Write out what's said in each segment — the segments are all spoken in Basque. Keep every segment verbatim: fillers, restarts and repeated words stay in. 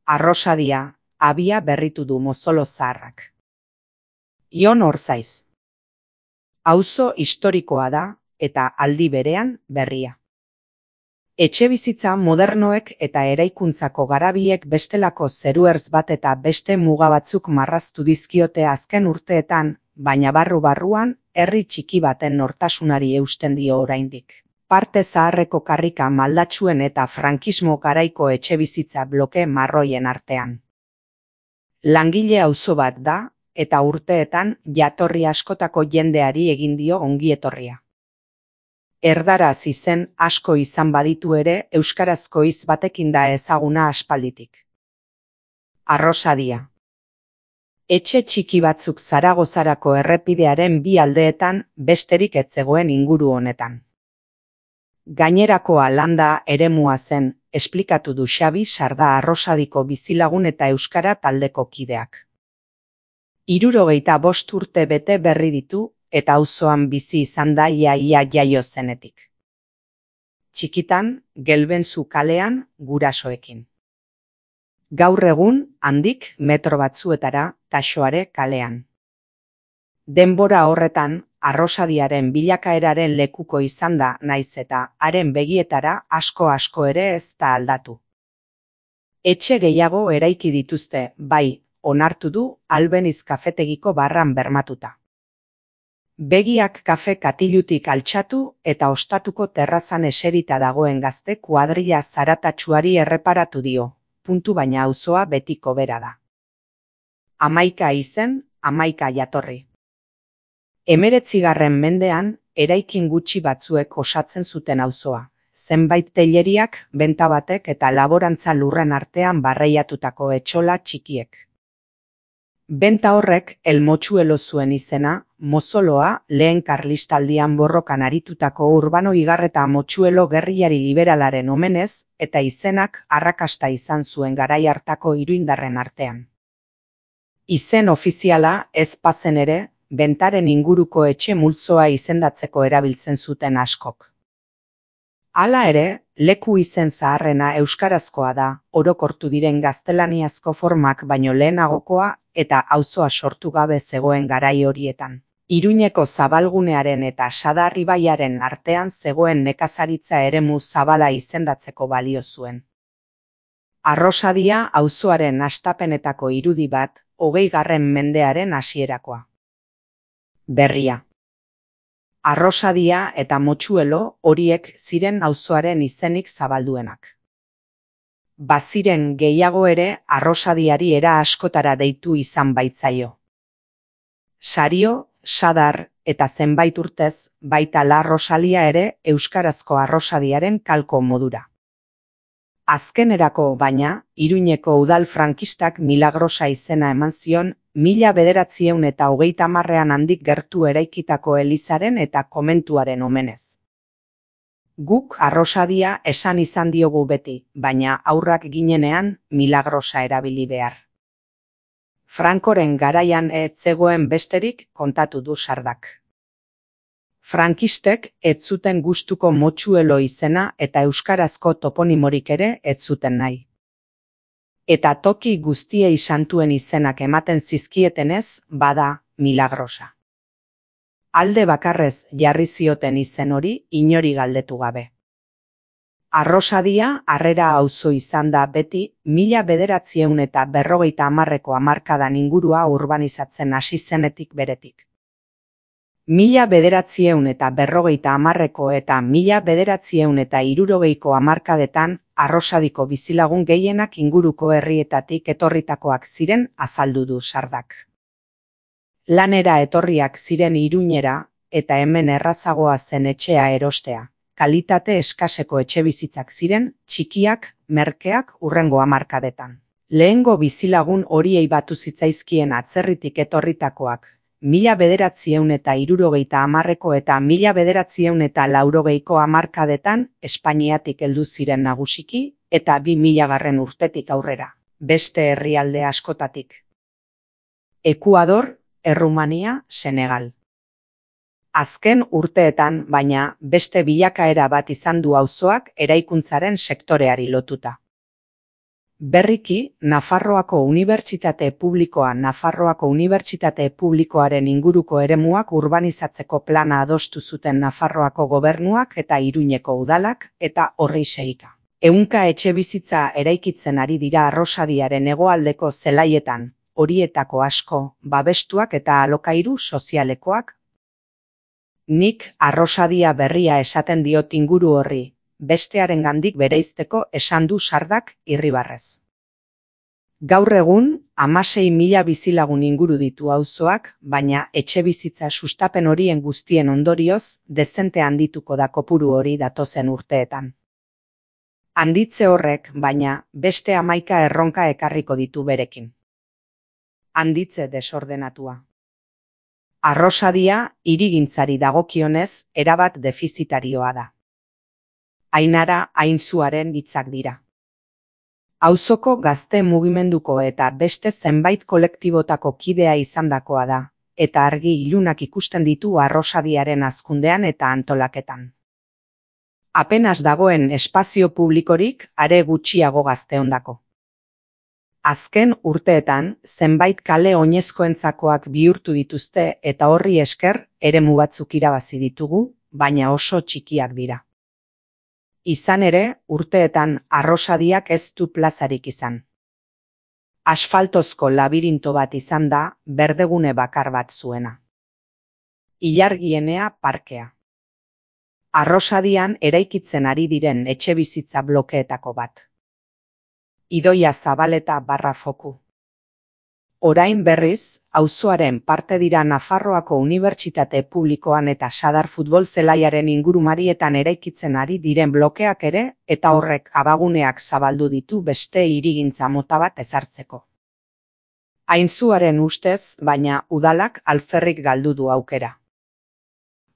Arrosadia, abia berritu du mozolo zaharrak. Ion Orzaiz. Auzo historikoa da, eta aldi berean berria. Etxebizitza modernoek eta eraikuntzako garabiek bestelako zeruertz bat eta beste muga batzuk marraztu dizkiote azken urteetan, baina barru-barruan, herri txiki baten nortasunari eusten dio oraindik. Parte zaharreko karrika maldatsuen eta frankismo garaiko etxebizitza bloke marroien artean. Langile auzo bat da, eta urteetan jatorri askotako jendeari egin dio ongietorria. Erdaraz izen asko izan baditu ere euskarazko hitz batekin da ezaguna aspalditik. Arrosadia. Etxe txiki batzuk Zaragozarako errepidearen bi aldeetan besterik ez zegoen inguru honetan. Gainerakoa landa eremua zen, esplikatu du Xabi Sarda Arrosadiko bizilagun eta euskara taldeko kideak. Hirurogeita bost urte bete berri ditu, eta auzoan bizi izan da ia-ia jaio zenetik. Txikitan, Gelbenzu kalean, gurasoekin. Gaur egun, handik metro batzuetara, Taxoare kalean. Denbora horretan, Arrosadiaren bilakaeraren lekuko izan da naiz eta haren begietara asko-asko ere ez da aldatu. Etxe gehiago eraiki dituzte, bai, onartu du Albeniz kafetegiko barran bermatuta. Begiak kafe katilutik altxatu eta ostatuko terrazan eserita dagoen gazte kuadrilla zaratatsuari erreparatu dio, puntu baina auzoa betiko bera da. Hamaika izen, hamaika jatorri. Hemeretzigarren mendean, eraikin gutxi batzuek osatzen zuten auzoa, zenbait teileriak, benta batek eta laborantza lurren artean barreiatutako etxola txikiek. Benta horrek El Motxuelo zuen izena, mozoloa lehen karlistaldian borrokan aritutako Urbano Igarreta Motxuelo gerrillari liberalaren omenez, eta izenak arrakasta izan zuen garai hartako iruindarren artean. Izen ofiziala ez bazen ere, bentaren inguruko etxe multzoa izendatzeko erabiltzen zuten askok. Hala ere, leku izen zaharrena euskarazkoa da, orokortu diren gaztelaniazko formak baino lehenagokoa eta auzoa sortu gabe zegoen garai horietan. Iruñeko zabalgunearen eta Sadar ibaiaren artean zegoen nekazaritza eremu zabala izendatzeko balio zuen. Arrosadia auzoaren hastapenetako irudi bat, hogeigarren mendearen hasierakoa. Berria. Arrosadia eta Motxuelo horiek ziren auzoaren izenik zabalduenak. Baziren gehiago ere Arrosadiari era askotara deitu izan baitzaio. Sario, Sadar eta zenbait urtez, baita La Rosalia ere euskarazko Arrosadiaren kalko modura. Azkenerako, baina, Iruñeko udal frankistak Milagrosa izena eman zion, mila bederatziehun eta hogeita hamarrean handik gertu eraikitako elizaren eta komentuaren omenez. Guk Arrosadia esan izan diogu beti, baina aurrak ginenean Milagrosa erabili behar. Frankoren garaian ez zegoen besterik kontatu du Sardak. Frankistek ez zuten gustuko Motxuelo izena eta euskarazko toponimorik ere ez zuten nahi. Eta toki guztiei santuen izenak ematen zizkietenez, bada Milagrosa. Alde bakarrez jarri zioten izen hori inori galdetu gabe. Arrosadia harrera auzo izan da beti mila bederatziehun eta berrogeita hamarreko hamarkadan ingurua urbanizatzen hasi zenetik beretik. Mila bederatziehun eta berrogeita hamarreko eta mila bederatziehun eta hirurogeiko hamarkadetan Arrosadiko bizilagun gehienak inguruko herrietatik etorritakoak ziren azaldu du Sardak. Lanera etorriak ziren Iruñera eta hemen errazagoa zen etxea erostea. Kalitate eskaseko etxebizitzak ziren, txikiak, merkeak hurrengo hamarkadetan. Lehengo bizilagun horiei batu zitzaizkien atzerritik etorritakoak, mila bederatziehun eta hirurogeita hamarreko eta mila bederatziehun eta laurogeiko hamarkadetan Espainiatik heldu ziren nagusiki eta bi milagarren urtetik aurrera, beste herrialde askotatik. Ekuador, Errumania, Senegal. Azken urteetan, baina, beste bilakaera bat izan du auzoak eraikuntzaren sektoreari lotuta. Berriki, Nafarroako Unibertsitate Publikoa Nafarroako Unibertsitate Publikoaren inguruko eremuak urbanizatzeko plana adostu zuten Nafarroako gobernuak eta Iruñeko udalak eta horri segika. Ehunka etxebizitza eraikitzen ari dira Arrosadiaren hegoaldeko zelaietan, horietako asko, babestuak eta alokairu sozialekoak. Nik Arrosadia berria esaten diot inguru horri, bestearengandik bereizteko esan du Sardak Irribarrez. Gaur egun, hamasei mila bizilagun inguru ditu auzoak, baina etxebizitza sustapen horien guztien ondorioz, dezente handituko da kopuru hori datozen urteetan. Handitze horrek, baina, beste hamaika erronka ekarriko ditu berekin. Handitze desordenatua. Arrosadia, hirigintzari dagokionez, erabat defizitarioa da. Ainara Ainzuaren hitzak dira. Auzoko gazte mugimenduko eta beste zenbait kolektibotako kidea izandakoa da, eta argi ilunak ikusten ditu Arrosadiaren hazkundean eta antolaketan. Apenas dagoen espazio publikorik are gutxiago gazteondako. Azken urteetan, zenbait kale oinezkoentzakoak bihurtu dituzte eta horri esker eremu batzuk irabazi ditugu, baina oso txikiak dira. Izan ere, urteetan Arrosadiak ez du plazarik izan. Asfaltozko labirinto bat izan da, berdegune bakar bat zuena. Ilargienea parkea. Arrosadian eraikitzen ari diren etxebizitza blokeetako bat. Idoia Zabaleta barra foku. Orain berriz, auzoaren parte dira Nafarroako Unibertsitate Publikoan eta Sadar futbol zelaiaren ingurumarietan eraikitzen ari diren blokeak ere, eta horrek abaguneak zabaldu ditu beste hirigintza mota bat ezartzeko. Ainzuaren ustez, baina udalak alferrik galdu du aukera.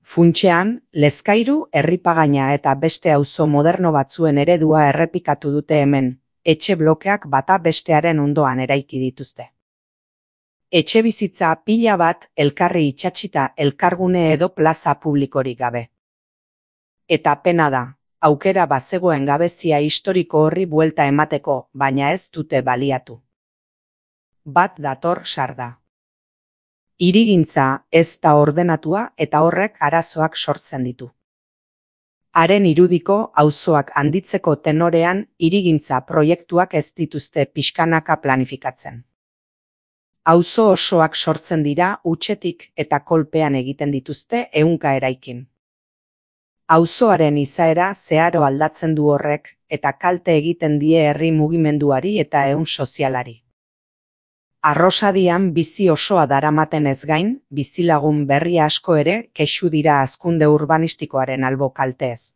Funtsean, Lezkairu, Herripagaina eta beste auzo moderno batzuen eredua errepikatu dute hemen, etxe blokeak bata bestearen ondoan eraiki dituzte. Etxebizitza pila bat elkarri itsatsita elkargune edo plaza publikorik gabe. Eta pena da, aukera bazegoen gabezia historiko horri buelta emateko, baina ez dute baliatu. Bat dator Sarda. Hirigintza ez da ordenatua eta horrek arazoak sortzen ditu. Haren irudiko auzoak handitzeko tenorean hirigintza proiektuak ez dituzte pixkanaka planifikatzen. Auzo osoak sortzen dira hutsetik eta kolpean egiten dituzte ehunka eraikin. Auzoaren izaera zeharo aldatzen du horrek eta kalte egiten die herri mugimenduari eta ehun sozialari. Arrosadian bizi osoa daramaten ez gain, bizilagun berri asko ere kexu dira hazkunde urbanistikoaren albo kalteez.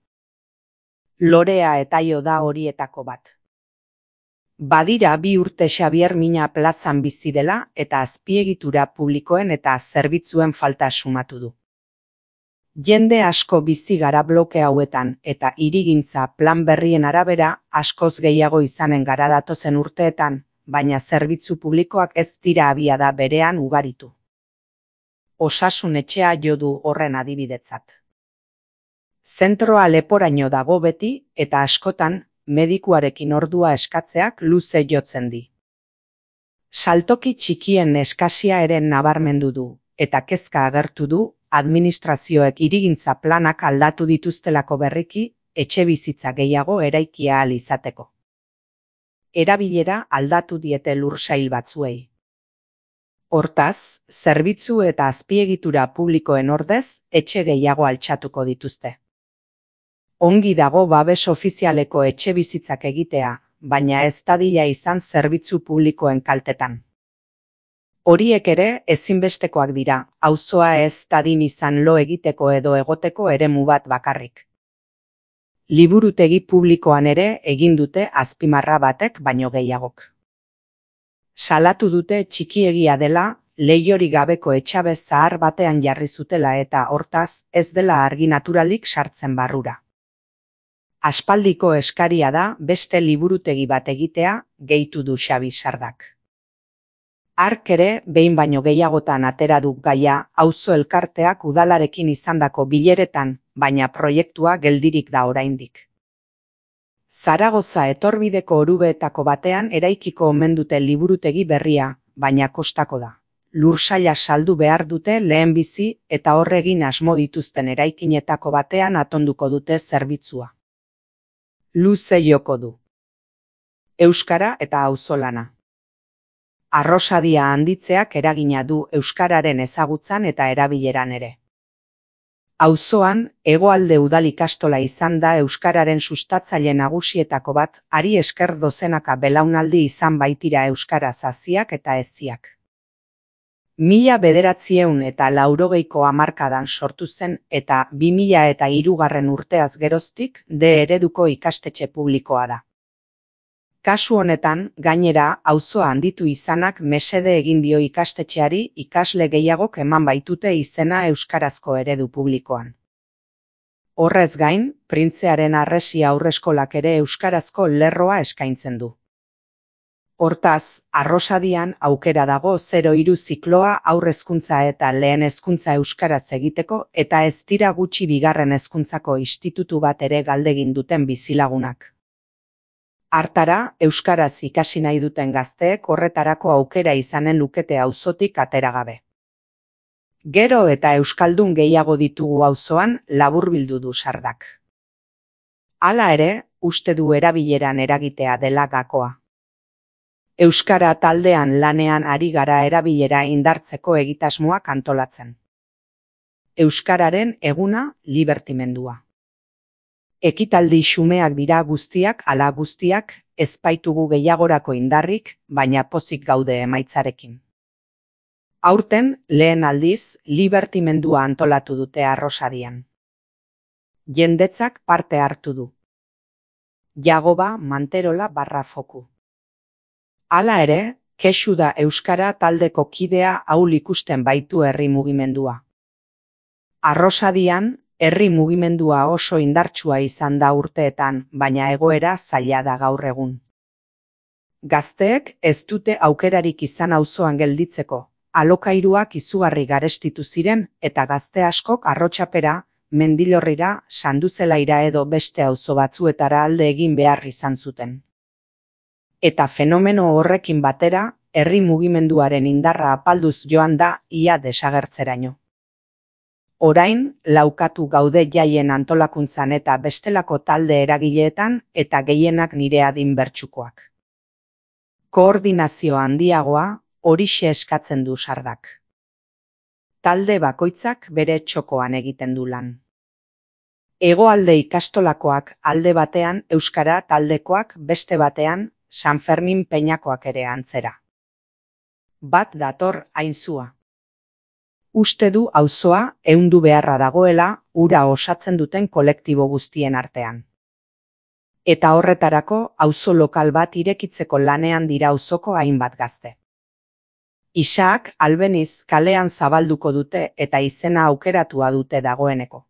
Lorea Etaio da horietako bat. Badira bi urte Xabier Mina plazan bizi dela eta azpiegitura publikoen eta zerbitzuen falta sumatu du. Jende asko bizi gara bloke hauetan eta hirigintza plan berrien arabera askoz gehiago izanen gara datozen urteetan, baina zerbitzu publikoak ez dira abiada berean ugaritu. Osasun etxea jo du horren adibidetzat. Zentroa leporaino dago beti eta askotan medikuarekin ordua eskatzeak luze jotzen di. Saltoki txikien eskasia ere nabarmendu du, eta kezka agertu du administrazioek hirigintza planak aldatu dituztelako berriki, etxebizitza gehiago eraikia ahal izateko. Erabilera aldatu diete lursail batzuei. Hortaz, zerbitzu eta azpiegitura publikoen ordez, etxe gehiago altxatuko dituzte. Ongi dago babes ofizialeko etxebizitzak egitea, baina ez dadila izan zerbitzu publikoen kaltetan. Horiek ere ezinbestekoak dira, auzoa ez dadin izan lo egiteko edo egoteko eremu bat bakarrik. Liburutegi publikoan ere egin dute azpimarra batek baino gehiagok. Salatu dute txikiegia dela, leihorik gabeko etxabe zahar batean jarri zutela eta hortaz ez dela argi naturalik sartzen barrura. Aspaldiko eskaria da beste liburutegi bat egitea, gehitu du Xabi Sardak. Hark ere behin baino gehiagotan atera du gaia auzo elkarteak udalarekin izandako bileretan, baina proiektua geldirik da oraindik. Zaragoza etorbideko orubeetako batean eraikiko omen dute liburutegi berria, baina kostako da. Lursaila saldu behar dute lehenbizi eta horregin asmo dituzten eraikinetako batean atonduko dute zerbitzua. Luze joko du. Euskara eta auzolana. Arrosadia handitzeak eragina du euskararen ezagutzan eta erabileran ere. Auzoan, Hegoalde Udal ikastola izan da euskararen sustatzaile nagusietako bat, hari esker dozenaka belaunaldi izan baitira euskara zaziak eta eziak. Mila bederatziehun eta laurogeiko hamarkadan sortu zen eta bi mila eta hirugarren urteaz geroztik D ereduko ikastetxe publikoa da. Kasu honetan, gainera, auzoa handitu izanak mesede egin dio ikastetxeari ikasle gehiagok eman baitute izena euskarazko eredu publikoan. Horrez gain, Printzearen Harresi haurreskolak ere euskarazko lerroa eskaintzen du. Hortaz, Arrosadian aukera dago zero hiru zikloa haur hezkuntza eta lehen hezkuntza euskaraz egiteko eta ez dira gutxi bigarren hezkuntzako institutu bat ere galdegin duten bizilagunak. Hartara, euskaraz ikasi nahi duten gazteek horretarako aukera izanen lukete auzotik atera gabe. Gero eta euskaldun gehiago ditugu auzoan laburbildu du Sardak. Hala ere, uste du erabileran eragitea dela gakoa. Euskara taldean lanean ari gara erabilera indartzeko egitasmoak antolatzen. Euskararen eguna libertimendua. Ekitaldi xumeak dira guztiak ala guztiak, ez baitugu gehiagorako indarrik, baina pozik gaude emaitzarekin. Aurten, lehen aldiz, libertimendua antolatu dute Arrosadian. Jendetzak parte hartu du. Jagoba Manterola barra foku. Hala ere, kexu da euskara taldeko kidea ahul ikusten baitu herri mugimendua. Arrosadian, herri mugimendua oso indartsua izan da urteetan, baina egoera zaila da gaur egun. Gazteek ez dute aukerarik izan auzoan gelditzeko, alokairuak izugarri garestitu ziren eta gazte askok Arrotsapera, Mendilorrira, Sanduzelaira edo beste auzo batzuetara alde egin behar izan zuten. Eta fenomeno horrekin batera, herri mugimenduaren indarra apalduz joan da ia desagertzeraino. Orain, laukatu gaude jaien antolakuntzan eta bestelako talde eragileetan eta gehienak nire adin bertsukoak. Koordinazio handiagoa horixe eskatzen du Sardak. Talde bakoitzak bere txokoan egiten du lan. Hegoalde ikastolakoak alde batean euskara taldekoak beste batean San Fermin Peñakoak ere antzera. Bat dator aintzua. Uste du auzoa ehundu beharra dagoela hura osatzen duten kolektibo guztien artean. Eta horretarako auzo lokal bat irekitzeko lanean dira auzoko hainbat gazte. Isaak albeniz kalean zabalduko dute eta izena aukeratua dute dagoeneko.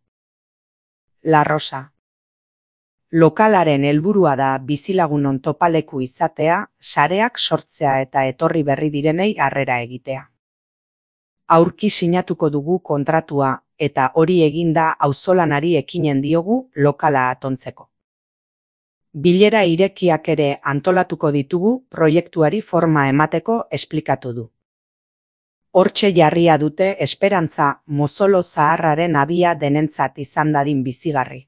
La Rosa. Lokalaren helburua da bizilagunon topaleku izatea, sareak sortzea eta etorri berri direnei harrera egitea. Aurki sinatuko dugu kontratua eta hori eginda auzolanari ekinen diogu lokala atontzeko. Bilera irekiak ere antolatuko ditugu proiektuari forma emateko esplikatu du. Hortxe jarria dute esperantza mozolo zaharraren abia denentzat izan dadin bizigarri.